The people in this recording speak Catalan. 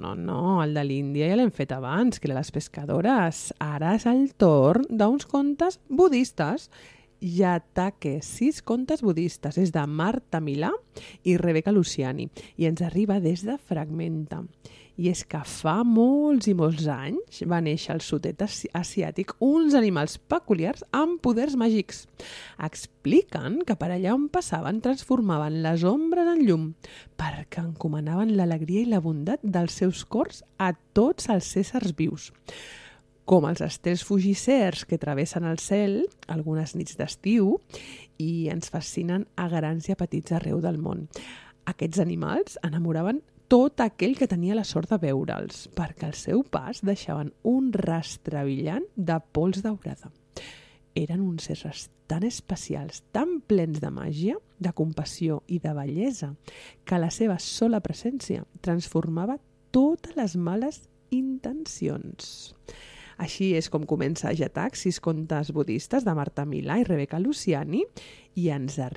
No, el de l'Índia ja l'hem fet abans, que era les pescadores. Ara és el torn d'uns contes budistes. Yatake, 6 contes budistes. És de Marta Milà i Rebeca Luciani. I ens arriba des de Fragmenta. I és que fa molts i molts anys va néixer al sud-est asiàtic uns animals peculiars amb poders màgics. Expliquen que per allà on passaven transformaven les ombres en llum perquè encomanaven l'alegria i la bondat dels seus cors a tots els éssers vius. Com els estels fugissers que travessen el cel algunes nits d'estiu i ens fascinen a grans i a petits arreu del món. Aquests animals enamoraven tot aquell que tenia la sort de veure'ls, perquè al seu pas deixaven un rastre brillant de pols daurada. Eren uns éssers tan especials, tan plens de màgia, de compassió i de bellesa, que la seva sola presència transformava totes les males intencions. Així és com comença Yatake, 6 contes budistes de Marta Milà i Rebeca Luciani, i ens arriba